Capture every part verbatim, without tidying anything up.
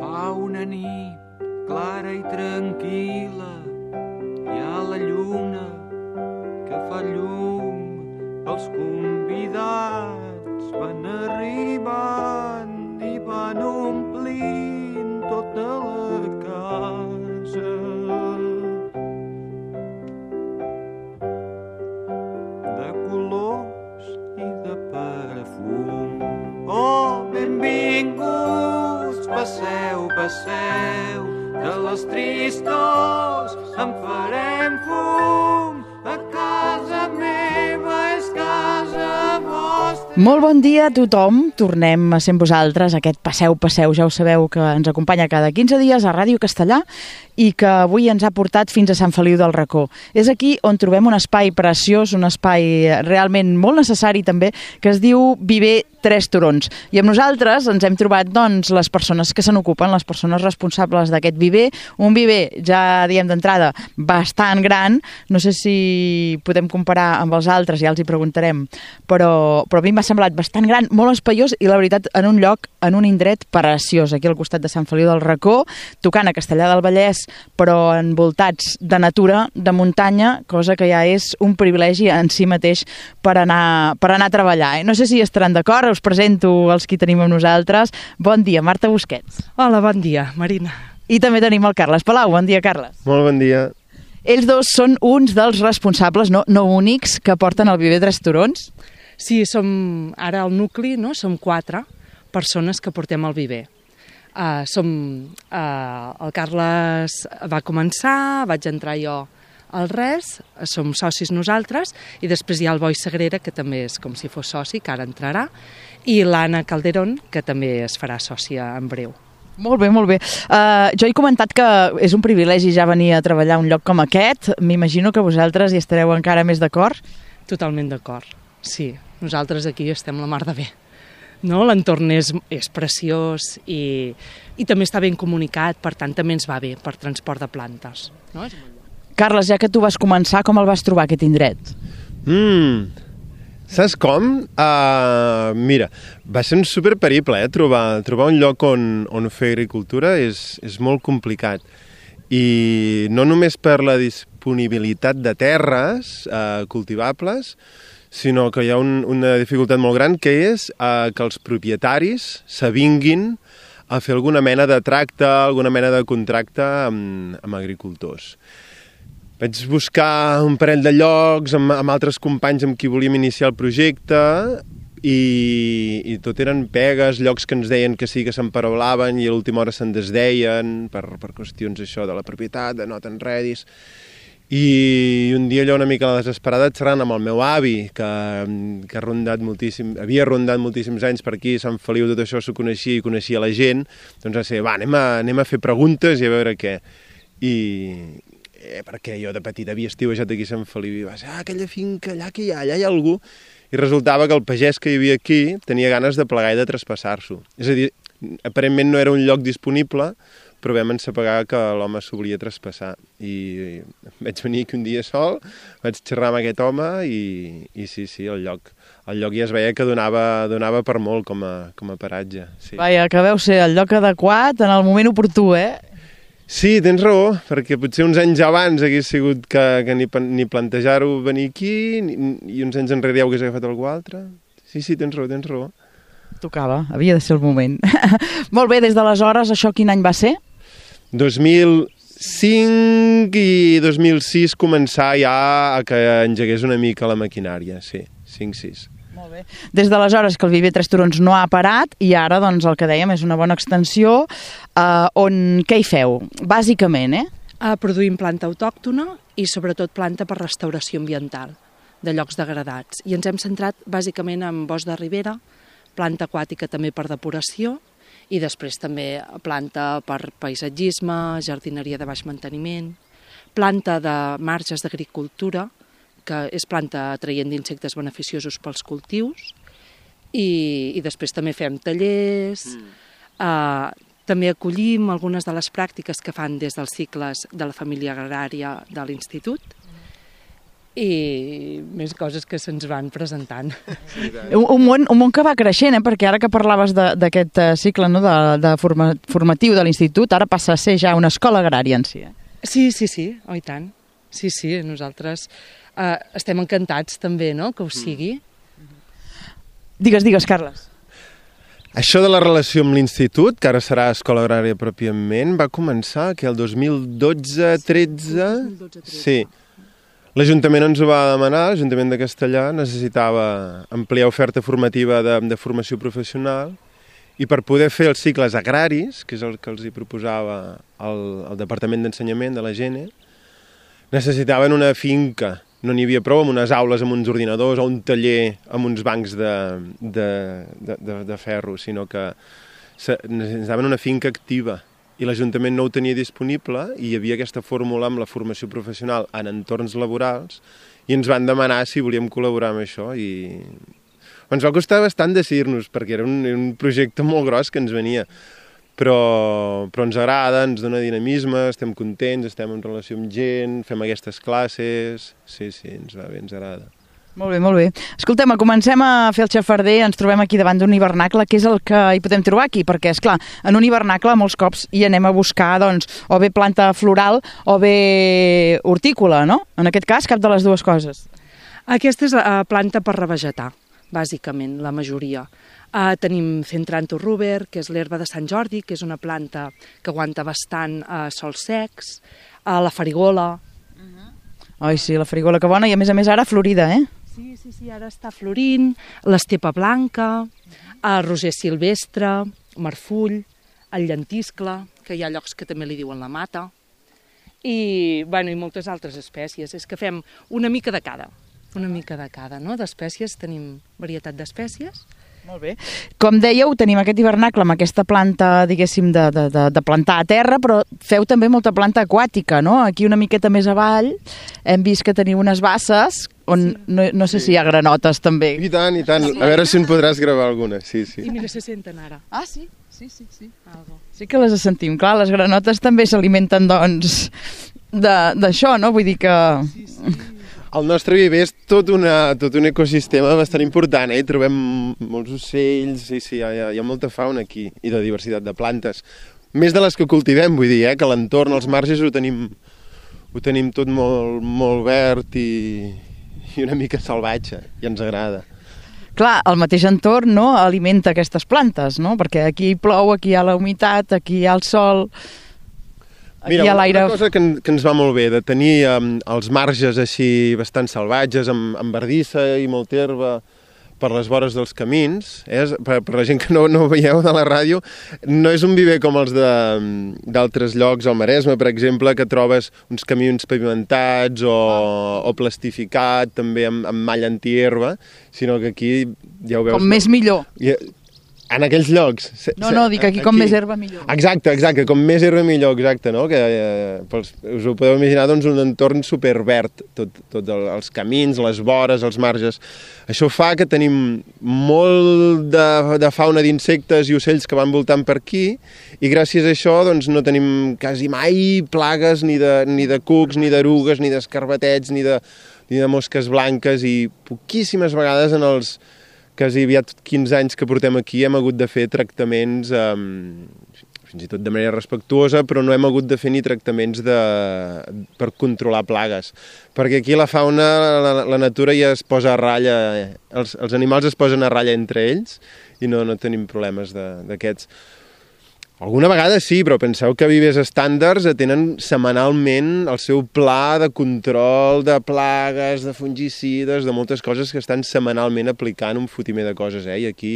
Fa una nit clara i tranquil·la, hi ha la lluna que fa llum, els convidats van arribant i van omplint tota la casa. De colors i de perfum. Oh, benvinguts, passeu, passeu, de les tristors en farem fum. A casa meva és casa vostra. Molt bon dia a tothom, tornem a ser amb vosaltres, aquest Passeu, Passeu, ja ho sabeu que ens acompanya cada quinze dies a Ràdio Castellà i que avui ens ha portat fins a Sant Feliu del Racó. És aquí on trobem un espai preciós, un espai realment molt necessari també, que es diu Viver Tres Turons. I amb nosaltres ens hem trobat doncs, les persones que se n'ocupen, les persones responsables d'aquest viver, un viver, ja diem d'entrada, bastant gran, no sé si podem comparar amb els altres, ja els hi preguntarem, però, però a mi m'ha semblat bastant gran, molt espaiós i la veritat en un lloc, en un indret preciós, aquí al costat de Sant Feliu del Racó, tocant a Castellar del Vallès, però envoltats de natura, de muntanya, cosa que ja és un privilegi en si mateix per anar, per anar a treballar. Eh? No sé si estaran d'acord, us presento els que tenim amb nosaltres. Bon dia, Marta Busquets. Hola, bon dia, Marina. I també tenim el Carles Palau. Bon dia, Carles. Molt bon dia. Ells dos són uns dels responsables, no, no únics, que porten el Viver Tres Turons. Sí, som ara al nucli, no? Som quatre persones que portem el viver. Uh, som, uh, el Carles va començar, vaig entrar jo al res, som socis nosaltres, i després hi ha el Boi Sagrera, que també és com si fos soci, que ara entrarà, i l'Anna Calderón, que també es farà sòcia en breu. Molt bé, molt bé. Uh, jo he comentat que és un privilegi ja venir a treballar a un lloc com aquest. M'imagino que vosaltres hi estareu encara més d'acord. Totalment d'acord, sí. Nosaltres aquí estem la mar de bé. No? L'entorn és, és preciós i, i també està ben comunicat, per tant també ens va bé per transport de plantes. No? És molt bé. Carles, ja que tu vas començar, com el vas trobar aquest indret? Mm, saps com? Uh, mira, va ser un superperiple, eh? Trobar, trobar un lloc on, on fer agricultura és, és molt complicat. I no només per la disponibilitat de terres uh, cultivables, sinó que hi ha un, una dificultat molt gran, que és uh, que els propietaris s'avinguin a fer alguna mena de tracte, alguna mena de contracte amb, amb agricultors. Vaig buscar un parell de llocs amb, amb altres companys amb qui volíem iniciar el projecte i, i tot eren pegues, llocs que ens deien que sí que s'emparolaven i a l'última hora se'n desdeien per, per qüestions això de la propietat, de no t'enredis. I un dia allò una mica a la desesperada xerrant amb el meu avi, que, que ha rondat moltíssim, havia rondat moltíssims anys per aquí, Sant Feliu, tot això s'ho coneixia i coneixia la gent, doncs va ser, va, anem a, anem a fer preguntes i a veure què. I eh, perquè jo de petit havia estiuejat aquí a Sant Feliu i va ser, ah, aquella finca, allà que hi ha, allà hi ha algú. I resultava que el pagès que hi havia aquí tenia ganes de plegar i de traspassar-s'ho. És a dir, aparentment no era un lloc disponible, però vam ensapegar que l'home s'ho volia traspassar. I vaig venir aquí un dia sol, vaig xerrar amb aquest home i, i sí, sí, el lloc, el lloc ja es veia que donava, donava per molt com a, com a paratge. Sí. Vaja, que veu ser el lloc adequat en el moment oportú, eh? Sí, tens raó, perquè potser uns anys abans hagués sigut que, que ni, ni plantejar-ho venir aquí, ni, i uns anys enrere ja ho hagués agafat algú altre. Sí, sí, tens raó, tens raó. Tocava, havia de ser el moment. Molt bé, des d'aleshores, això quin any va ser? dos mil cinc i dos mil sis començar ja a que engegués una mica la maquinària, sí, cinc sis. Molt bé. Des d'aleshores que el Viver Tres Turons no ha parat i ara, doncs, el que dèiem és una bona extensió eh, on què hi feu? Bàsicament, eh? Uh, produïm planta autòctona i sobretot planta per restauració ambiental de llocs degradats. I ens hem centrat bàsicament en bosc de ribera, planta aquàtica també per depuració i després també planta per paisatgisme, jardineria de baix manteniment, planta de marges d'agricultura, que és planta atraient d'insectes beneficiosos pels cultius, i, i després també fem tallers, mm. eh, també acollim algunes de les pràctiques que fan des dels cicles de la família agrària de l'institut, i més coses que se'ns van presentant. Un, un, món, un món que va creixent, eh? Perquè ara que parlaves d'aquest cicle, no? de, de forma, formatiu de l'institut, ara passa a ser ja una escola agrària en si. Eh? Sí, sí, sí, oh, i tant. Sí, sí, nosaltres eh, estem encantats també, no?, que ho sigui. Digues, digues, Carles. Això de la relació amb l'institut, que ara serà escola agrària pròpiament, va començar que el dos mil dotze tretze... Sí. L'Ajuntament ens ho va demanar, l'Ajuntament de Castellar necessitava ampliar oferta formativa de, de formació professional i per poder fer els cicles agraris, que és el que els hi proposava el, el Departament d'Ensenyament de la Gene, necessitaven una finca. No n'hi havia prou amb unes aules amb uns ordinadors o un taller amb uns bancs de, de, de, de, de ferro, sinó que necessitaven una finca activa i l'Ajuntament no ho tenia disponible i hi havia aquesta fórmula amb la formació professional en entorns laborals i ens van demanar si volíem col·laborar amb això i ens va costar bastant decidir-nos perquè era un, un projecte molt gros que ens venia. Però, però ens agrada, ens dona dinamisme, estem contents, estem en relació amb gent, fem aquestes classes... Sí, sí, ens va bé, ens agrada. Molt bé, molt bé. Escoltem, comencem a fer el xafarder, ens trobem aquí davant d'un hivernacle, que és el que hi podem trobar aquí, perquè, esclar, en un hivernacle molts cops hi anem a buscar, doncs, o bé planta floral o bé hortícola, no? En aquest cas, cap de les dues coses. Aquesta és la planta per revegetar, bàsicament, la majoria. Uh, tenim Centranto ruber, que és l'herba de Sant Jordi, que és una planta que aguanta bastant uh, sols secs, uh, la farigola. Uh-huh. Ai, sí, la farigola que bona, i a més a més ara florida, eh? Sí, sí, sí, ara està florint, l'estepa blanca, el roser silvestre, marfull, el llentiscle, que hi ha llocs que també li diuen la mata, i, bueno, i moltes altres espècies. És que fem una mica de cada, una mica de cada, no? D'espècies, tenim varietat d'espècies. Molt bé. Com dèieu, tenim aquest hivernacle amb aquesta planta, diguéssim, de, de, de, de plantar a terra, però feu també molta planta aquàtica, no? Aquí una miqueta més avall hem vist que teniu unes basses on sí. no, no sé si hi ha granotes també. I tant, i tant. A veure si en podràs gravar alguna. Sí, sí. I mira, se senten ara. Ah, sí? Sí, sí, sí. Algo. Sí que les sentim. Clar, les granotes també s'alimenten, doncs, d'això, no? Vull dir que... Sí, sí. El nostre viver és tot, una, tot un ecosistema bastant important, eh? Hi trobem molts ocells, sí, sí, hi ha, hi ha molta fauna aquí, i de diversitat de plantes. Més de les que cultivem, vull dir, eh? Que l'entorn, els marges, ho tenim, ho tenim tot molt, molt verd i, i una mica salvatge, i ens agrada. Clar, el mateix entorn, no?, alimenta aquestes plantes, no? Perquè aquí plou, aquí hi ha la humitat, aquí hi ha el sol... Mira, una cosa que, que ens va molt bé, de tenir um, els marges així bastant salvatges, amb, amb verdissa i molta herba per les vores dels camins, eh? per, per la gent que no, no veieu de la ràdio, no és un viver com els d'altres llocs, al Maresme, per exemple, que trobes uns camins pavimentats o, o plastificat, també amb, amb malla antiherba, sinó que aquí ja ho veus... Com més millor. I, en aquells llocs. No, no, dic aquí, aquí com més herba millor. Exacte, exacte, com més herba millor, exacte, no? Que eh, pels, us ho podeu imaginar, doncs, un entorn superverd, tot, tot el, els camins, les vores, els marges. Això fa que tenim molt de, de fauna d'insectes i ocells que van voltant per aquí i gràcies a això doncs, no tenim quasi mai plagues ni de, ni de cucs, ni d'erugues, ni d'escarbatets, ni, de, ni de mosques blanques i poquíssimes vegades en els quasi aviat quinze anys que portem aquí hem hagut de fer tractaments, um, fins i tot de manera respectuosa, però no hem hagut de fer ni tractaments de, per controlar plagues. Perquè aquí la fauna, la, la natura ja es posa a ratlla, els, els animals es posen a ratlla entre ells i no, no tenim problemes d'aquests. Alguna vegada sí, però penseu que Vives Estàndards tenen setmanalment el seu pla de control de plagues, de fungicides, de moltes coses que estan setmanalment aplicant un fotimer de coses, eh? I aquí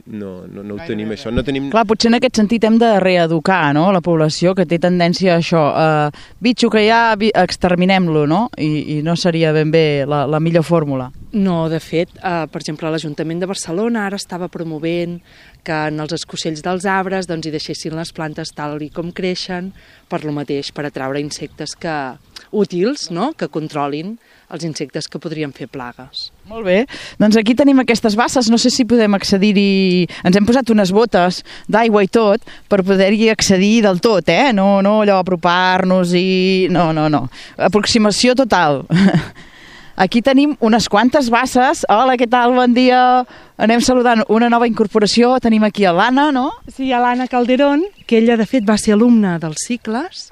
no, no, no ho tenim, això. No tenim... Clar, potser en aquest sentit hem de reeducar, no?, la població, que té tendència a això. Uh, bitxo que hi ha, exterminem-lo, no? I, I no seria ben bé la, la millor fórmula. No, de fet, uh, per exemple, l'Ajuntament de Barcelona ara estava promovent que en els escocells dels arbres doncs, hi deixessin les plantes tal i com creixen, per lo mateix, per atraure insectes que, útils, no?, que controlin els insectes que podrien fer plagues. Molt bé, doncs aquí tenim aquestes basses, no sé si podem accedir-hi, ens hem posat unes botes d'aigua i tot per poder-hi accedir del tot, eh? No, no allò apropar-nos i... No, no, no, aproximació total. Aquí tenim unes quantes basses. Hola, què tal? Bon dia. Anem saludant una nova incorporació. Tenim aquí a l'Anna, no? Sí, a l'Anna Calderón, que ella de fet va ser alumna dels cicles,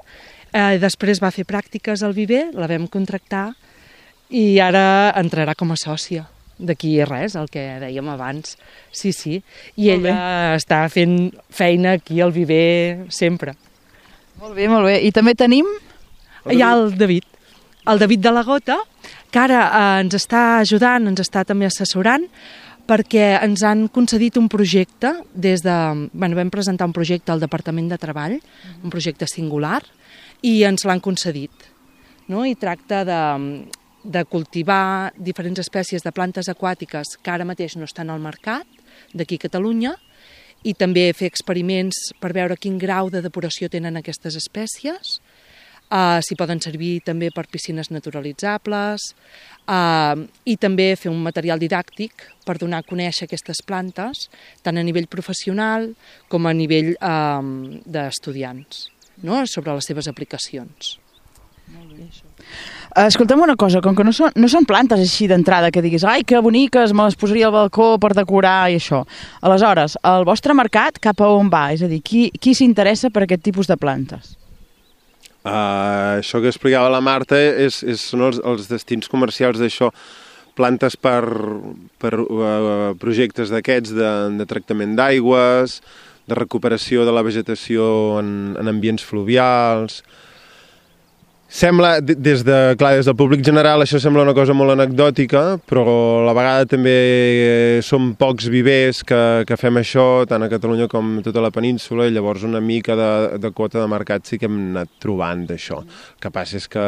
eh, després va fer pràctiques al Viver, la vam contractar i ara entrarà com a sòcia. D'aquí res, el que dèiem abans. Sí, sí. I Molt ella bé. Està fent feina aquí al Viver sempre. Molt bé, molt bé. I també tenim... Hi ha el David, el David de la Gota, que ara eh, ens està ajudant, ens està també assessorant, perquè ens han concedit un projecte des de... Bueno, vam presentar un projecte al Departament de Treball, un projecte singular, i ens l'han concedit. No? I tracta de, de cultivar diferents espècies de plantes aquàtiques que ara mateix no estan al mercat, d'aquí a Catalunya, i també fer experiments per veure quin grau de depuració tenen aquestes espècies, Uh, si poden servir també per piscines naturalitzables uh, i també fer un material didàctic per donar a conèixer aquestes plantes tant a nivell professional com a nivell uh, d'estudiants, no? Sobre les seves aplicacions. Molt bé, això. Escolta'm una cosa, com que no són, no són plantes així d'entrada que diguis ai, que boniques, me les posaria al balcó per decorar i això. Aleshores, el vostre mercat cap a on va? És a dir, qui, qui s'interessa per aquest tipus de plantes? Uh, això que explicava la Marta és, és, són els, els destins comercials d'això, plantes per, per uh, projectes d'aquests de, de tractament d'aigües, de recuperació de la vegetació en, en ambients fluvials. Sembla, des de, clar, des del públic general, això sembla una cosa molt anecdòtica, però a la vegada també som pocs vivers que, que fem això, tant a Catalunya com a tota la península, i llavors una mica de, de quota de mercat sí que hem anat trobant d'això. El que passa és que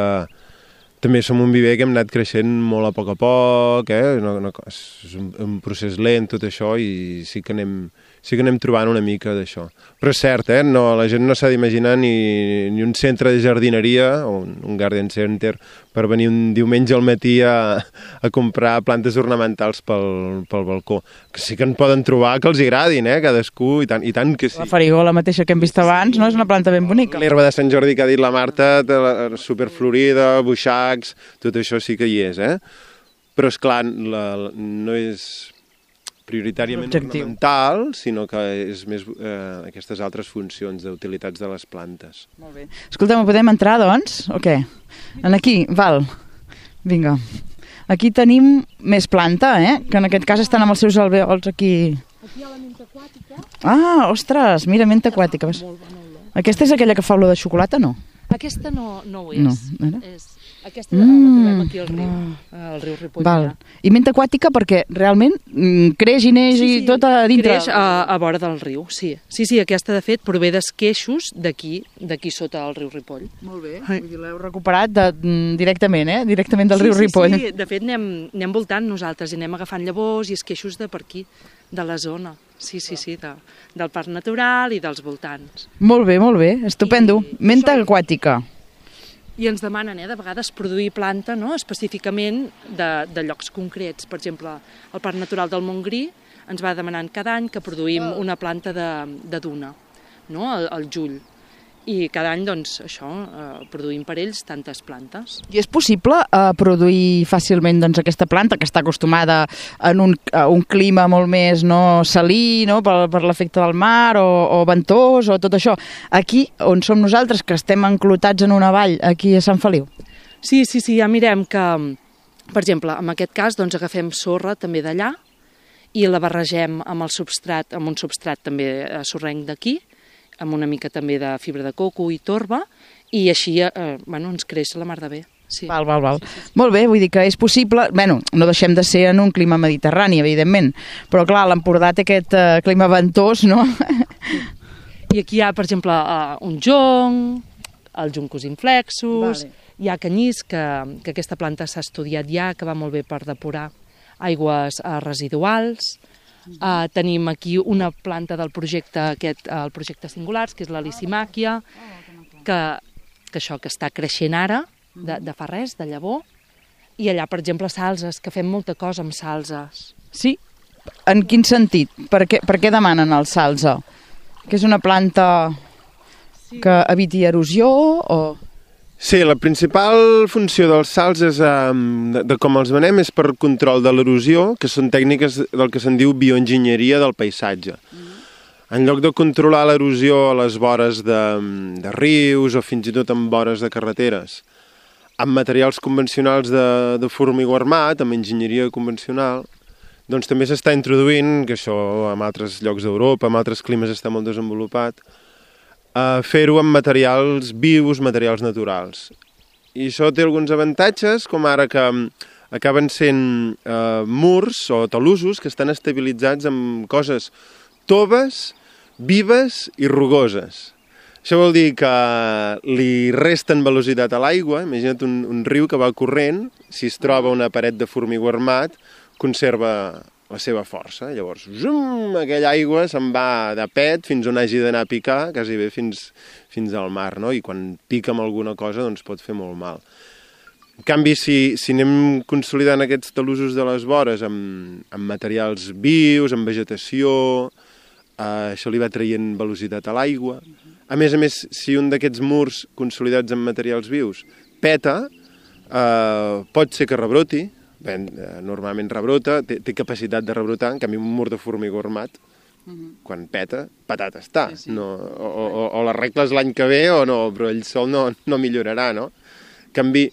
també som un viver que hem anat creixent molt a poc a poc, eh? no, no, és un, un procés lent tot això, i sí que anem... sí que anem trobant una mica d'això. Però és cert, eh? No, la gent no s'ha d'imaginar ni, ni un centre de jardineria o un, un garden center per venir un diumenge al matí a, a comprar plantes ornamentals pel, pel balcó. Que sí que en poden trobar que els agradin, eh? Cadascú, i tant, i tant que sí. La farigola mateixa que hem vist abans, no? És una planta ben bonica. L'herba de Sant Jordi que ha dit la Marta, superflorida, buixacs, tot això sí que hi és, eh? Però, esclar, la, la, no és prioritàriament ornamental, sinó que és més eh, aquestes altres funcions d'utilitats de les plantes. Molt bé. Escolta'm, podem entrar, doncs? O què? En aquí, val. Vinga. Aquí tenim més planta, eh? Que en aquest cas estan amb els seus alveols aquí. Aquí hi ha la menta aquàtica. Ah, ostres, mira, menta aquàtica. Molt bona olor. Aquesta és aquella que fa olor de xocolata, no? Aquesta no, no ho és. No, era? és aquesta mm, la trobem aquí al riu, al riu Ripoll. Val. I menta aquàtica perquè realment mm, creix i neix sí, sí, i tot a dintre. Creix a, a vora del riu, sí. Sí, sí, aquesta de fet prové d'esqueixos d'aquí, d'aquí sota el riu Ripoll. Molt bé, vull dir, l'heu recuperat de, directament, eh? Directament del sí, riu sí, Ripoll. Sí, sí, de fet anem, anem voltant nosaltres i anem agafant llavors i esqueixos de per aquí, de la zona. Sí, sí, sí, de, del parc natural i dels voltants. Molt bé, molt bé, estupendo. I, menta això... aquàtica. I ens demanen, eh, de vegades, produir planta, no?, específicament de, de llocs concrets. Per exemple, el Parc Natural del Montgrí ens va demanant cada any que produïm una planta de, de duna, no?, al, al juny. I cada any, doncs, això, eh, produïm per ells tantes plantes. I és possible eh, produir fàcilment doncs, aquesta planta que està acostumada en un, a un clima molt més no, salí, no, per, per l'efecte del mar o, o ventós o tot això. Aquí, on som nosaltres, que estem enclotats en una vall, aquí a Sant Feliu? Sí, sí, sí, ja mirem que, per exemple, en aquest cas, doncs, agafem sorra també d'allà i la barregem amb el substrat, amb un substrat també sorrenc d'aquí, amb una mica també de fibra de coco i torba, i així eh, bueno, ens creix la mar de bé. Sí. Val, val, val. Sí, sí, sí. Molt bé, vull dir que és possible... Bueno, no deixem de ser en un clima mediterrani, evidentment, però clar, l'Empordà té aquest eh, clima ventós, no? I aquí hi ha, per exemple, uh, un jonc, els juncos inflexos, vale. Hi ha canyís, que, que aquesta planta s'ha estudiat ja, que va molt bé per depurar aigües uh, residuals. Uh, tenim aquí una planta del projecte aquest, uh, el projecte Singulars, que és la Lysimachia, que, que això que està creixent ara, de, de fa res, de llavor, i allà, per exemple, salses, que fem molta cosa amb salses. Sí? En quin sentit? Per què, per què demanen el salsa? Que és una planta que eviti erosió o... Sí, la principal funció dels sals és, eh, de, de com els venem és per control de l'erosió, que són tècniques del que se'n diu bioenginyeria del paisatge. Mm. En lloc de controlar l'erosió a les vores de, de rius o fins i tot en vores de carreteres, amb materials convencionals de, de formigó armat, amb enginyeria convencional, doncs també s'està introduint, que això en altres llocs d'Europa, en altres climes està molt desenvolupat, a fer-ho amb materials vius, materials naturals. I això té alguns avantatges, com ara que acaben sent eh, murs o talussos que estan estabilitzats amb coses toves, vives i rugoses. Això vol dir que li resten velocitat a l'aigua. Imagina't un, un riu que va corrent, si es troba una paret de formigó armat, conserva la seva força. Llavors, zum, aquella aigua se'n va de pet fins on hagi d'anar a picar, quasi bé fins, fins al mar, no? I quan pica amb alguna cosa doncs pot fer molt mal. En canvi, si, si anem consolidant aquests talussos de les vores amb, amb materials vius, amb vegetació, eh, això li va traient velocitat a l'aigua. A més a més, si un d'aquests murs consolidats amb materials vius peta, eh, pot ser que rebroti. Bé, normalment rebrota, té, té capacitat de rebrotar, en canvi un mur de formigó armat, uh-huh. quan peta, patata està. Sí, sí. No, o, o, o l'arregles l'any que ve o no, però ell sol no, no millorarà, no? En canvi,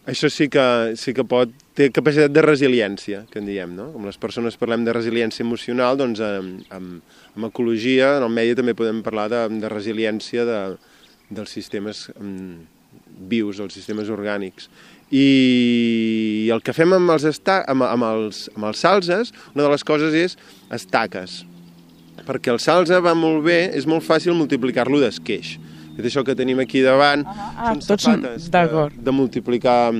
això sí que, sí que pot, té capacitat de resiliència, que en diem, no? Com les persones parlem de resiliència emocional, doncs amb, amb, amb ecologia, en el medi també podem parlar de, de resiliència de, dels sistemes vius, dels sistemes orgànics. I el que fem amb els, esta amb, amb, els, amb els salzes, una de les coses és estaques. Perquè el salze va molt bé, és molt fàcil multiplicar-lo d'esqueix. És això que tenim aquí davant, ah, són safates de, de multiplicar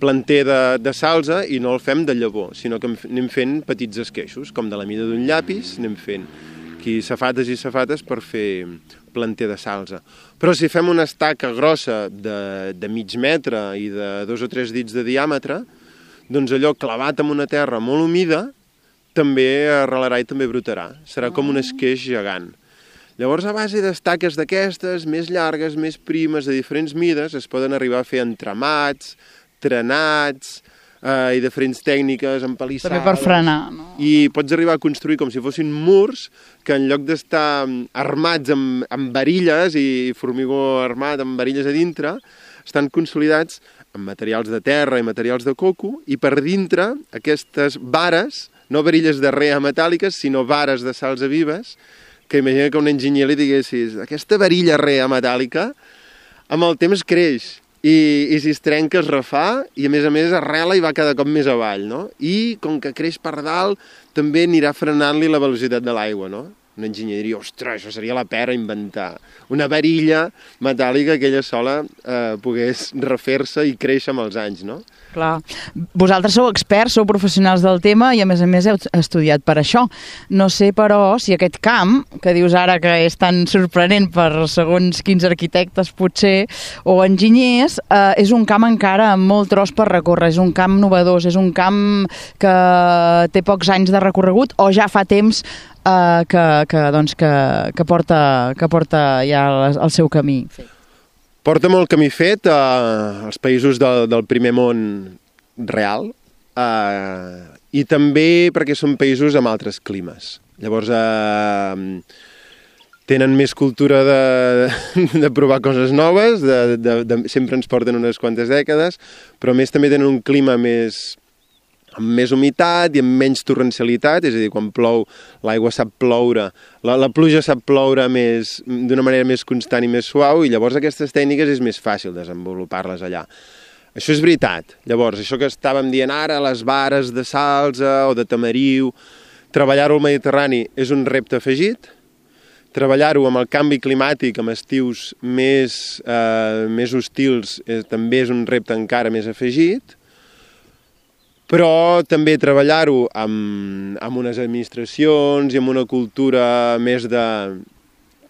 planter de, de salze i no el fem de llavor, sinó que anem fent petits esqueixos, com de la mida d'un llapis, anem fent aquí safates i safates per fer planter de salze. Però si fem una estaca grossa de, de mig metre i de dos o tres dits de diàmetre, doncs allò clavat en una terra molt humida també arrelarà i també brotarà. Serà com un esqueix gegant. Llavors, a base d'estaques d'aquestes, més llargues, més primes, de diferents mides, es poden arribar a fer entramats, trenats, eh, i diferents tècniques, empalissades. També per frenar, no? I pots arribar a construir com si fossin murs que en lloc d'estar armats amb, amb varilles i formigó armat amb varilles a dintre, estan consolidats amb materials de terra i materials de coco, i per dintre aquestes vares, no varilles de rea metàl·liques, sinó vares de salsa vives, que imagina que un enginyer li diguessis aquesta varilla rea metàl·lica amb el temps creix i, i si es trenca es refà i a més a més arrela i va cada cop més avall, no? I com que creix per dalt també anirà frenant-li la velocitat de l'aigua, no? Un enginyer diria, ostres, això seria la pera inventar una varilla metàl·lica que ella sola eh, pogués refer-se i créixer amb els anys, no? Clar. Vosaltres sou experts, sou professionals del tema i a més a més heu estudiat per això. No sé, però, si aquest camp, que dius ara que és tan sorprenent per segons quins arquitectes potser, o enginyers, eh, és un camp encara amb molt tros per recórrer, és un camp novedós, és un camp que té pocs anys de recorregut o ja fa temps Uh, que, que, doncs, que, que, porta, que porta ja el, el seu camí. Porta molt camí fet uh, als països del, del primer món real uh, i també perquè són països amb altres climes. Llavors uh, tenen més cultura de, de provar coses noves, de, de, de, sempre ens porten unes quantes dècades, però a més també tenen un clima més... amb més humitat i amb menys torrencialitat, és a dir, quan plou l'aigua sap ploure, la, la pluja sap ploure d'una manera més constant i més suau, i llavors aquestes tècniques és més fàcil desenvolupar-les allà. Això és veritat. Llavors, això que estàvem dient ara, les vares de salsa o de tamariu, treballar-ho al Mediterrani és un repte afegit, treballar-ho amb el canvi climàtic, amb estius més, eh, més hostils, eh, també és un repte encara més afegit, però també treballar-ho amb, amb unes administracions i amb una cultura més de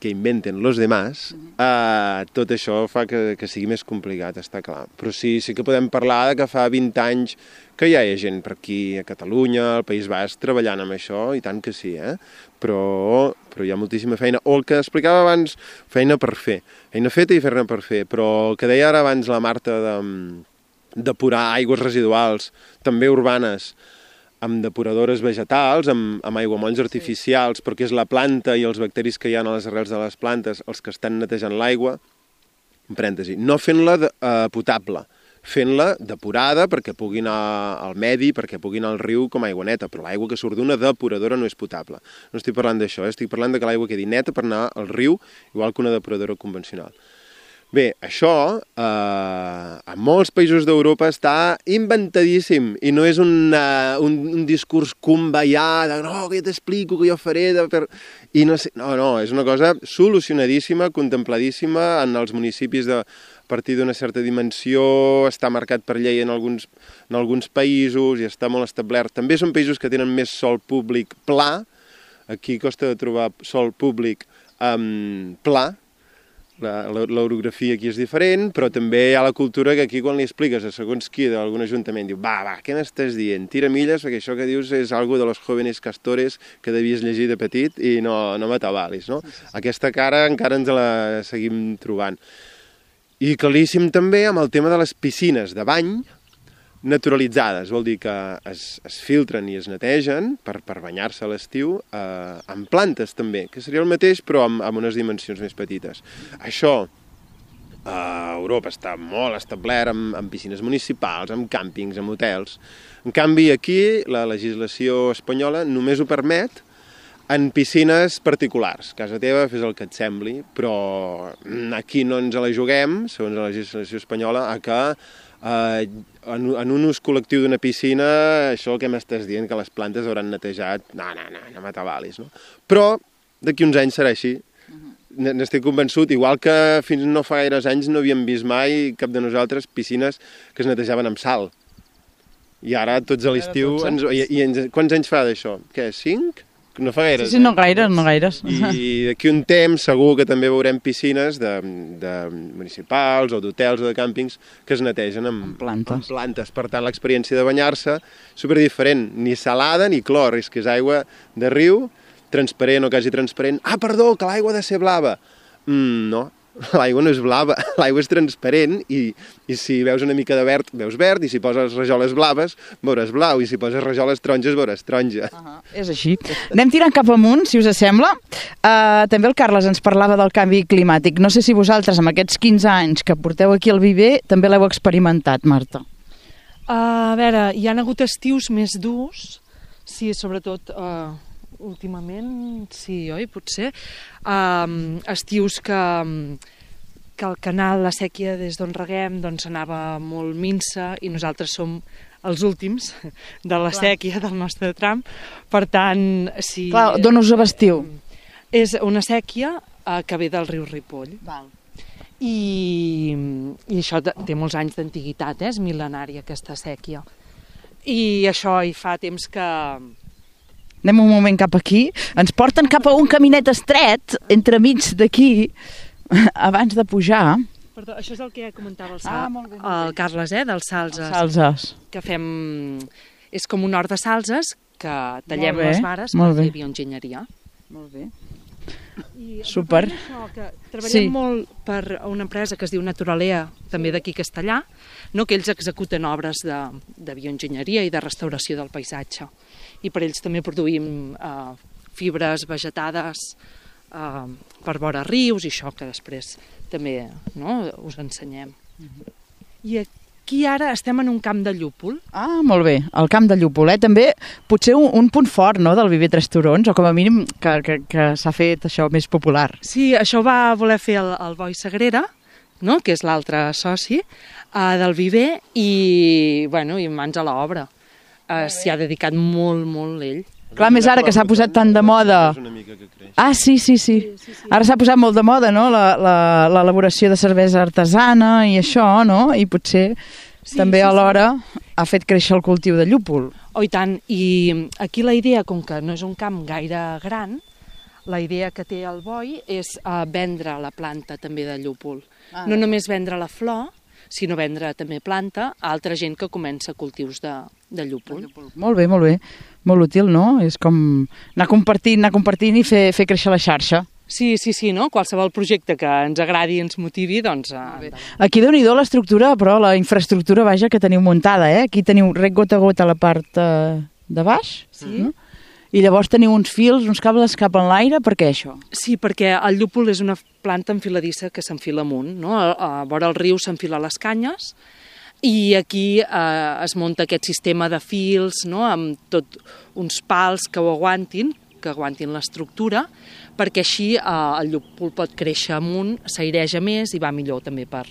que inventen los demás, eh, tot això fa que, que sigui més complicat, està clar. Però sí, sí que podem parlar de que fa vint anys que ja hi ha gent per aquí a Catalunya, al País Basc, treballant amb això, i tant que sí, eh? Però, però hi ha moltíssima feina. O el que explicava abans, feina per fer. Feina feta i fer-ne per fer. Però el que deia ara abans la Marta de depurar aigües residuals, també urbanes, amb depuradores vegetals, amb, amb aiguamolls artificials, perquè és la planta i els bacteris que hi ha a les arrels de les plantes els que estan netejant l'aigua, en parèntesi, no fent-la eh, potable, fent-la depurada perquè pugui anar al medi, perquè pugui anar al riu com a aigua neta, però l'aigua que surt d'una depuradora no és potable. No estic parlant d'això, eh? Estic parlant de que l'aigua quedi neta per anar al riu, igual que una depuradora convencional. Bé, això eh, a molts països d'Europa està inventadíssim i no és una, un, un discurs cumbaià de no, que jo t'explico, que jo faré... De per... I no, sé, no, no, és una cosa solucionadíssima, contempladíssima en els municipis de, a partir d'una certa dimensió, està marcat per llei en alguns, en alguns països i està molt establert. També són països que tenen més sòl públic pla, aquí costa de trobar sòl públic um, pla, l'orografia aquí és diferent, però també hi ha la cultura que aquí quan li expliques a segons qui d'algun ajuntament diu, va, va, què m'estàs dient? Tira milles, perquè això que dius és algo de los jóvenes castores que devies llegir de petit i no, no m'atabalis, no? Aquesta cara encara ens la seguim trobant. I claríssim també amb el tema de les piscines de bany naturalitzades, vol dir que es, es filtren i es netegen per, per banyar-se a l'estiu eh, amb plantes també, que seria el mateix però amb, amb unes dimensions més petites. Això a Europa està molt establert amb, amb piscines municipals, amb càmpings, amb hotels. En canvi aquí la legislació espanyola només ho permet en piscines particulars. A casa teva fes el que et sembli, però aquí no ens la juguem, segons la legislació espanyola, a que eh, en, en un ús col·lectiu d'una piscina, això que m'estàs dient, que les plantes hauran netejat, no, no, no, no m'atabalis, no? Però d'aquí uns anys serà així. N'estic convençut, igual que fins no fa gaires anys no havíem vist mai cap de nosaltres piscines que es netejaven amb sal. I ara tots a l'estiu... I, i ens, quants anys fa d'això? Què, cinc? No fa gaires. Sí, sí, no gaires, no gaires. I d'aquí un temps segur que també veurem piscines de, de municipals o d'hotels o de càmpings que es netegen amb, amb plantes. Amb plantes. Per tant, l'experiència de banyar-se superdiferent. Ni salada ni clor, és que és aigua de riu, transparent o quasi transparent. Ah, perdó, que l'aigua ha de ser blava. Mm, no, l'aigua no és blava, l'aigua és transparent i, i si veus una mica de verd, veus verd, i si poses rajoles blaves, veuràs blau, i si poses rajoles taronges, veuràs taronja. Uh -huh. És així. Anem tirant cap amunt, si us sembla. Uh, també el Carles ens parlava del canvi climàtic. No sé si vosaltres, amb aquests quinze anys que porteu aquí al Viver, també l'heu experimentat, Marta. Uh, a veure, hi ha hagut estius més durs, sí, sobretot... Uh... últimament, sí, oi? Potser. Um, estius que, que el canal, la sèquia des d'on reguem, doncs anava molt minsa i nosaltres som els últims de la Clar. sèquia del nostre tram. Per tant, si... Clar, d'on us abastiu? És una sèquia uh, que ve del riu Ripoll. Val. I, i això té molts anys d'antiguitat, eh? És mil·lenària aquesta sèquia. I això hi fa temps que... Anem un moment cap aquí. Ens porten cap a un caminet estret, entremig d'aquí, abans de pujar. Perdó, això és el que comentava el, ah, Sal, molt bé, molt el bé. Carles, eh, dels salzes. Salzes. Que fem... És com un hort de salzes que tallem bé, les vares per fer bioenginyeria. Molt bé. I Super. Això, que treballem sí. molt per una empresa que es diu Naturalea, també d'aquí Castellà, no? Que ells executen obres de, de bioenginyeria i de restauració del paisatge. I per ells també produïm eh, fibres vegetades eh, per vora rius i això que després també, no, us ensenyem. Uh-huh. I aquí ara estem en un camp de llúpol. Ah, molt bé, el camp de llúpol, eh? També potser un, un punt fort, no?, del Viver Tres Turons, o com a mínim que, que, que s'ha fet això més popular. Sí, això va voler fer el, el Boi Sagrera, no?, que és l'altre soci eh, del Viver, i, bueno, i mans a l'obra. Uh, s'hi ha dedicat molt, molt ell. Clar, més ara que s'ha posat tan de moda. Ah, sí, sí, sí. Ara s'ha posat molt de moda, no?, l'elaboració de cervesa artesana i això, no?, i potser sí, també sí, alhora sí. ha fet créixer el cultiu de llúpol. Oh, i tant. I aquí la idea, com que no és un camp gaire gran, la idea que té el Boi és uh, vendre la planta també de llúpol. Ah, no només vendre la flor, sinó vendre també planta a altra gent que comença cultius de, de llúpol. Molt bé, molt bé. Molt útil, no? És com anar compartint, anar compartint i fer, fer créixer la xarxa. Sí, sí, sí, no? Qualsevol projecte que ens agradi i ens motivi, doncs... Eh, Aquí déu-n'hi-do l'estructura, però la infraestructura, vaja, que teniu muntada, eh? Aquí teniu rec gota a gota a la part eh, de baix, sí. No? I llavors teniu uns fils, uns cables cap en l'aire, per què això? Sí, perquè el llúpol és una planta enfiladissa que s'enfila amunt, no? A, a vora el riu s'enfila les canyes i aquí eh, es munta aquest sistema de fils, no? Amb tot uns pals que ho aguantin, que aguantin l'estructura, perquè així eh, el llúpol pot créixer amunt, s'aireja més i va millor també per,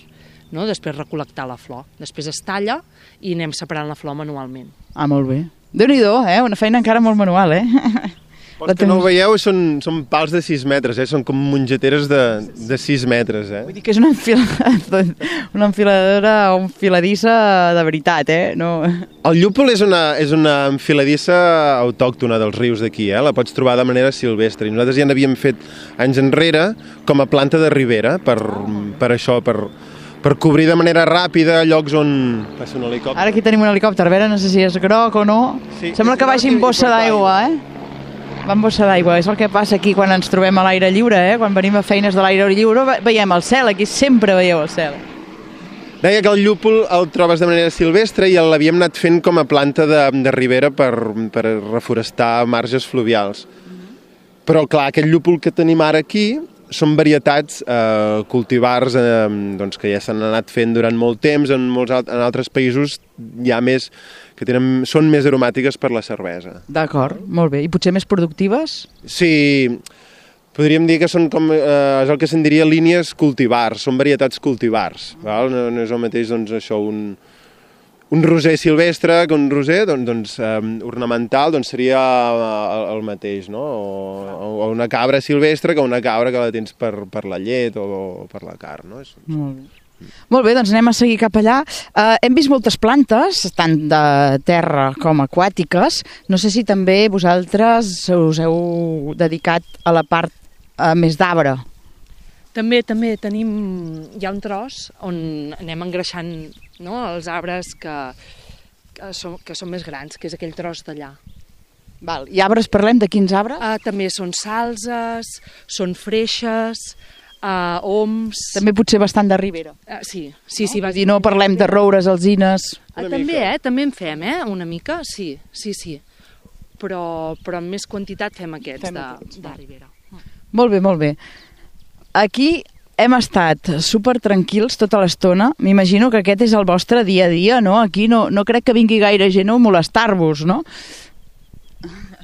no? Després recol·lectar la flor. Després es talla i anem separant la flor manualment. Ah, molt bé. Déu-n'hi-do, eh? Una feina encara molt manual, eh? Els que no ho veieu són, són pals de sis metres, eh? Són com mongeteres de, de sis metres, eh? Vull dir que és una, enfila... una enfiladora o enfiladissa de veritat, eh? No... El llúpol és una, és una enfiladissa autòctona dels rius d'aquí, eh? La pots trobar de manera silvestre. I nosaltres ja n'havíem fet anys enrere com a planta de ribera, per, per això, per... per cobrir de manera ràpida llocs on passa un helicòpter. Ara aquí tenim un helicòpter, a veure, no sé si és groc o no. Sí, sembla que vagi amb bossa d'aigua, eh? Va amb bossa d'aigua, és el que passa aquí quan ens trobem a l'aire lliure, eh? Quan venim a feines de l'aire lliure veiem el cel, aquí sempre veieu el cel. Deia que el llúpol el trobes de manera silvestre i l'havíem anat fent com a planta de, de ribera per, per reforestar marges fluvials. Però clar, aquest llúpol que tenim ara aquí són varietats eh, cultivars eh, doncs, que ja s'han anat fent durant molt temps, en, molts, en altres països hi ha més, que tenen, són més aromàtiques per la cervesa. D'acord, molt bé. I potser més productives? Sí, podríem dir que són com, eh, és el que se'n diria línies cultivars, són varietats cultivars. Val? No, no és el mateix doncs, això, un, un roser silvestre que un roser doncs, doncs, eh, ornamental doncs seria el, el mateix, no? O, o una cabra silvestre que una cabra que la tens per, per la llet o, o per la carn. No? És... Molt bé. Molt bé, doncs anem a seguir cap allà. Uh, hem vist moltes plantes, tant de terra com aquàtiques. No sé si també vosaltres us heu dedicat a la part uh, més d'arbre. També, també tenim, hi ha un tros on anem engreixant, no, els arbres que, que, són, que són més grans, que és aquell tros d'allà. Val. I arbres, parlem de quins arbres? Uh, també són salzes, són freixes, uh, oms... També potser bastant de ribera. Uh, sí, sí, no? sí. Va dir, no parlem de roures, alzines... Uh, també, eh? També en fem, eh? Una mica, sí, sí, sí. Però, però en més quantitat fem aquests fem de, aquests. de ribera. Molt bé, molt bé. Aquí hem estat super tranquils tota l'estona. M'imagino que aquest és el vostre dia a dia, no? Aquí no, no crec que vingui gaire gent a molestar-vos, no?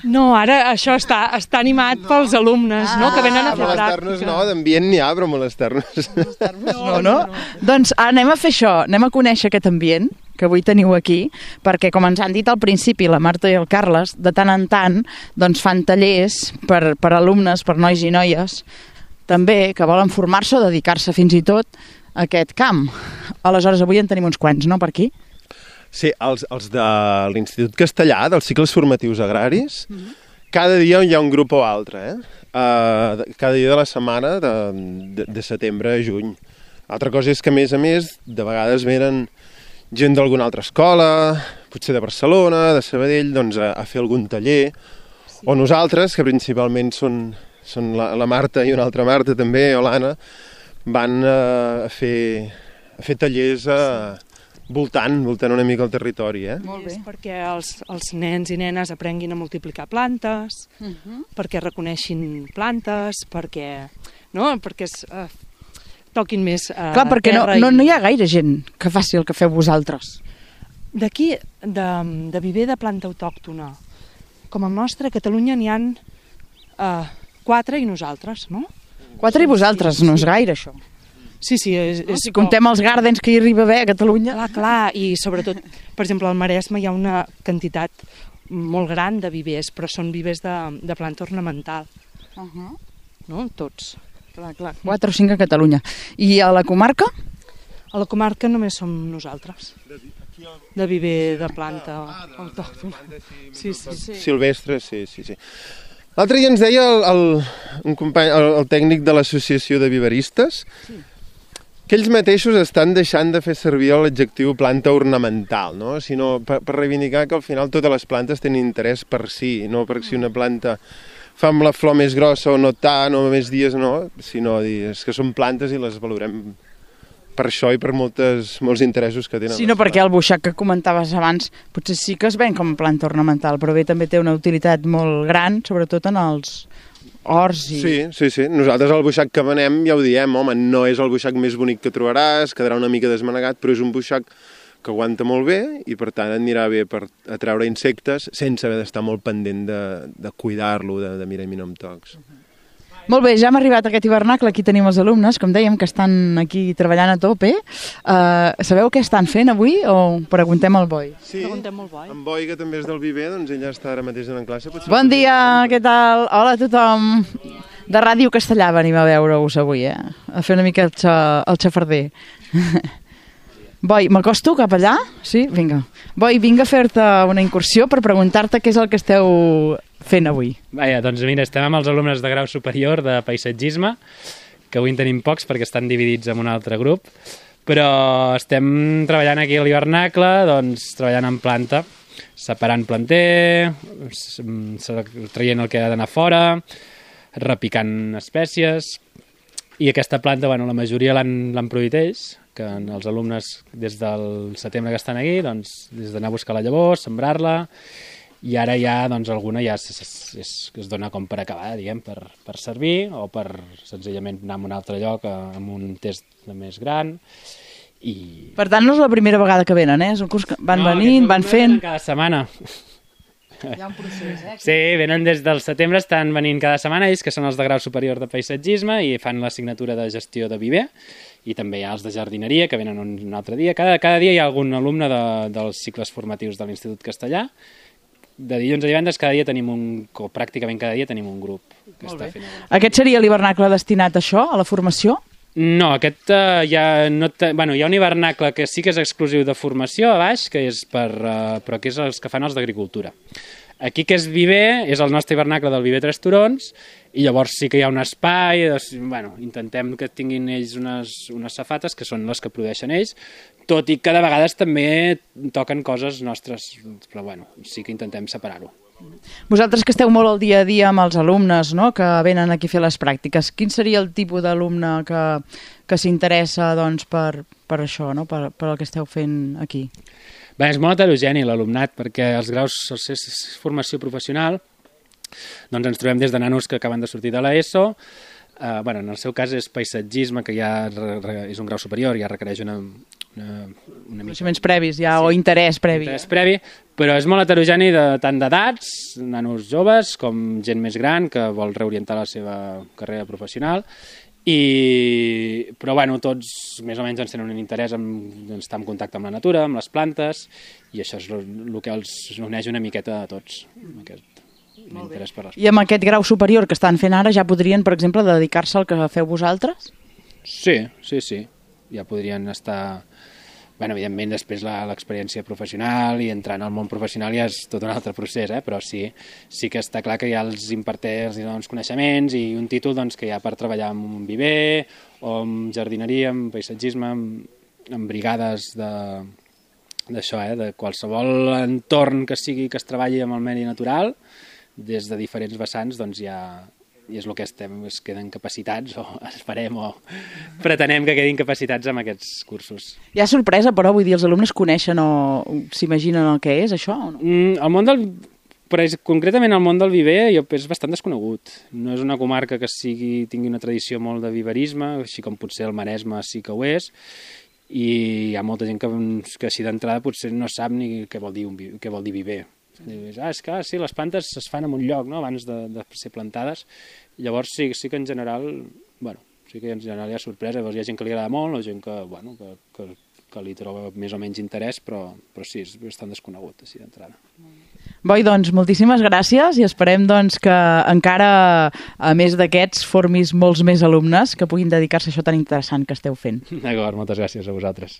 No, ara això està, està animat no. pels alumnes, ah, no? Que venen a fer molestar-nos no, d'ambient n'hi ha, però molestar-nos... Molestar-nos no, no, no? Doncs anem a fer això, anem a conèixer aquest ambient que avui teniu aquí, perquè com ens han dit al principi la Marta i el Carles, de tant en tant doncs fan tallers per, per alumnes, per nois i noies, també que volen formar-se o dedicar-se fins i tot a aquest camp. Aleshores, avui en tenim uns quants, no, per aquí? Sí, els, els de l'Institut Castellà, dels cicles formatius agraris, uh-huh. cada dia hi ha un grup o altre, eh? Uh, cada dia de la setmana, de, de, de setembre a juny. L'altra cosa és que, a més a més, de vegades venen gent d'alguna altra escola, potser de Barcelona, de Sabadell, doncs a, a fer algun taller, sí. O nosaltres, que principalment són, són la, la Marta i una altra Marta també, o l'Anna, van uh, a, fer, a fer tallers a... Sí. Voltant, voltant una mica el territori, eh? Molt bé. És perquè els, els nens i nenes aprenguin a multiplicar plantes, uh-huh. perquè reconeixin plantes, perquè, no? perquè es, uh, toquin més uh, Clar, perquè no, terra. No, no hi ha gaire gent que faci el que feu vosaltres. D'aquí, de, de viver de planta autòctona, com el nostre, a Catalunya n'hi ha uh, quatre i nosaltres, no? Quatre i vosaltres, sí, no és gaire això. Sí, sí. És, no, si comptem els gardens que hi arriba a haver a Catalunya... Clar, clar, i sobretot, per exemple, al Maresme hi ha una quantitat molt gran de vivers, però són vivers de, de planta ornamental. Uh-huh. No? Tots. Clar, clar. Quatre o cinc a Catalunya. I a la comarca? A la comarca només som nosaltres. De viver de planta autòctona. Sí, sí, sí. Silvestre, sí, sí, sí. L'altre dia ens deia el, el, un company, el, el tècnic de l'associació de viveristes, sí. que ells mateixos estan deixant de fer servir l'adjectiu planta ornamental, no? Sinó per, per reivindicar que al final totes les plantes tenen interès per si, no per si una planta fa amb la flor més grossa o no tant, o més dies no, sinó dir, és que són plantes i les valorem per això i per moltes, molts interessos que tenen. Sí, no, perquè el buixac que comentaves abans potser sí que es ven com a planta ornamental, però bé, també té una utilitat molt gran, sobretot en els horts. I... Sí, sí, sí. Nosaltres el buixac que venem ja ho diem, home, no és el buixac més bonic que trobaràs, quedarà una mica desmanegat, però és un buixac que aguanta molt bé i per tant anirà bé per atraure insectes sense haver d'estar molt pendent de, de cuidar-lo, de, de mirar i mirar amb tocs. Molt bé, ja hem arribat a aquest hivernacle, aquí tenim els alumnes, com dèiem, que estan aquí treballant a tope. Uh, sabeu què estan fent avui o preguntem al Boi? Sí, Preguntem al Boi. en Boi, que també és del Viver, doncs ella està ara mateix en classe. Potser Bon dia, què tal? Hola a tothom. De Ràdio Castellà venim a veure-us avui, eh? A fer una mica el, xa, el xafarder. Boi, m'acosto cap allà? Sí? Vinga. Boi, vinc a fer-te una incursió per preguntar-te què és el que esteu fent avui. Vaja, doncs mira, estem amb els alumnes de grau superior de paisatgisme, que avui en tenim pocs perquè estan dividits en un altre grup, però estem treballant aquí a l'hivernacle, doncs treballant en planta, separant planter, traient el que ha d'anar fora, repicant espècies, i aquesta planta, bueno, la majoria l'han produït ells, que els alumnes des del setembre que estan aquí, doncs, des d'anar a buscar la llavor, sembrar-la, i ara ja, doncs, alguna ja es, es, es, es dona com per acabar, diguem, per, per servir, o per senzillament anar a un altre lloc amb un test més gran. I... Per tant, no és la primera vegada que venen, eh? És un curs que van no, venint, van fent... Cada setmana. Hi ha un procés, eh? Sí, venen des del setembre, estan venint cada setmana, ells que són els de grau superior de paisatgisme i fan l'assignatura de gestió de viver, i també hi ha els de jardineria que venen un, un altre dia. Cada, cada dia hi ha algun alumne de, dels cicles formatius de l'Institut Castellà. De dilluns a divendres cada dia tenim un, o pràcticament cada dia tenim un grup que Molt està bé. fent alguna. Aquest seria l'hivernacle destinat a això, a la formació? No, aquest uh, ja no te... bueno, hi ha un hivernacle que sí que és exclusiu de formació a baix, que és per, uh, però que és els que fan els d'agricultura. Aquí que és Viver, és el nostre hivernacle del Viver Tres Turons, i llavors sí que hi ha un espai, doncs, bueno, intentem que tinguin ells unes, unes safates, que són les que produeixen ells, tot i que de vegades també toquen coses nostres, però bueno, sí que intentem separar-ho. Vosaltres que esteu molt al dia a dia amb els alumnes, no?, que venen aquí a fer les pràctiques, quin seria el tipus d'alumne que, que s'interessa doncs, per, per això, no?, per, per el que esteu fent aquí? Bé, és molt heterogeni l'alumnat, perquè els graus de formació professional doncs ens trobem des de nanos que acaben de sortir de l'ESO, uh, bueno, en el seu cas és paisatgisme, que ja és un grau superior, ja requereix una, una, una mica... Coneixements previs, ja, sí, o interès previ. Interès previ, però és molt heterogeni de, tant d'edats, nanos joves, com gent més gran que vol reorientar la seva carrera professional, i però bueno, tots més o menys ens tenen un interès en estar en contacte amb la natura, amb les plantes, i això és el que els uneix una miqueta a tots, aquest interès per les plantes. I amb aquest grau superior que estan fent ara ja podrien, per exemple, dedicar-se al que feu vosaltres? Sí, sí, sí, ja podrien estar... Bueno, evidentment, després l'experiència professional i entrar en el món professional ja és tot un altre procés, eh? Però sí, sí que està clar que ja els imparteix doncs, coneixements i un títol doncs, que hi ha per treballar en un viver o en jardineria, en paisatgisme, en, en brigades d'això, eh? De qualsevol entorn que sigui que es treballi amb el medi natural, des de diferents vessants, doncs ja... i és el que estem, es queden capacitats, o esperem, o pretenem que quedin capacitats amb aquests cursos. Hi ha sorpresa, però, vull dir, els alumnes coneixen o s'imaginen el que és, això, o no? Mm, el món del... Però és, concretament el món del viver és bastant desconegut. No és una comarca que sigui, tingui una tradició molt de viverisme, així com potser el Maresme sí que ho és, i hi ha molta gent que, que així d'entrada potser no sap ni què vol dir, un, què vol dir viver. Ah, és que sí, les plantes es fan en un lloc, no?, abans de, de ser plantades. Llavors sí, sí que en general, bueno, sí que en general hi ha sorpresa. Llavors hi ha gent que li agrada molt, o gent que, bueno, que, que, que li troba més o menys interès, però, però sí, és bastant desconegut així d'entrada. Boi, doncs, moltíssimes gràcies i esperem doncs, que encara, a més d'aquests, formis molts més alumnes que puguin dedicar-se a això tan interessant que esteu fent. D'acord, moltes gràcies a vosaltres.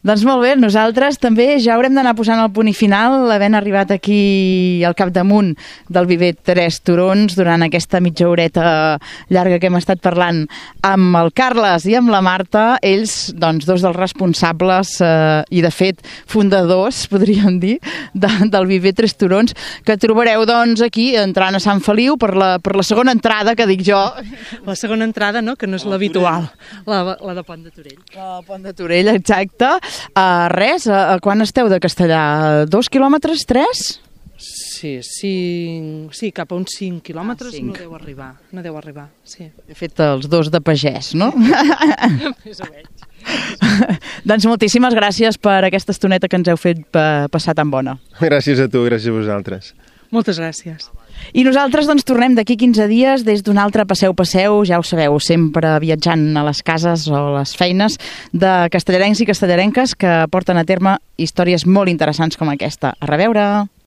Doncs molt bé, nosaltres també ja haurem d'anar posant el punt i final, havent arribat aquí al capdamunt del Viver Tres Turons durant aquesta mitja horeta llarga que hem estat parlant amb el Carles i amb la Marta, ells, doncs, dos dels responsables eh, i, de fet, fundadors, podríem dir, de, del Viver Tres Turons, que trobareu, doncs, aquí, entrant a Sant Feliu, per la, per la segona entrada, que dic jo. La segona entrada, no?, que no és l'habitual, la, la de Pont de Torell. La Pont de Torell, exacte. Uh, res, uh, quan esteu de Castellà? Dos quilòmetres? Tres? Sí, cinc, sí, cap a uns cinc quilòmetres Ah, cinc. no deu arribar, no deu arribar, sí. He fet els dos de pagès, no? Més o menys. Doncs moltíssimes gràcies per aquesta estoneta que ens heu fet pa passar tan bona. Gràcies a tu, gràcies a vosaltres. Moltes gràcies. I nosaltres doncs tornem d'aquí quinze dies des d'un altre Passeu Passeu, ja ho sabeu, sempre viatjant a les cases o a les feines de castellarencs i castellarenques que porten a terme històries molt interessants com aquesta. A reveure!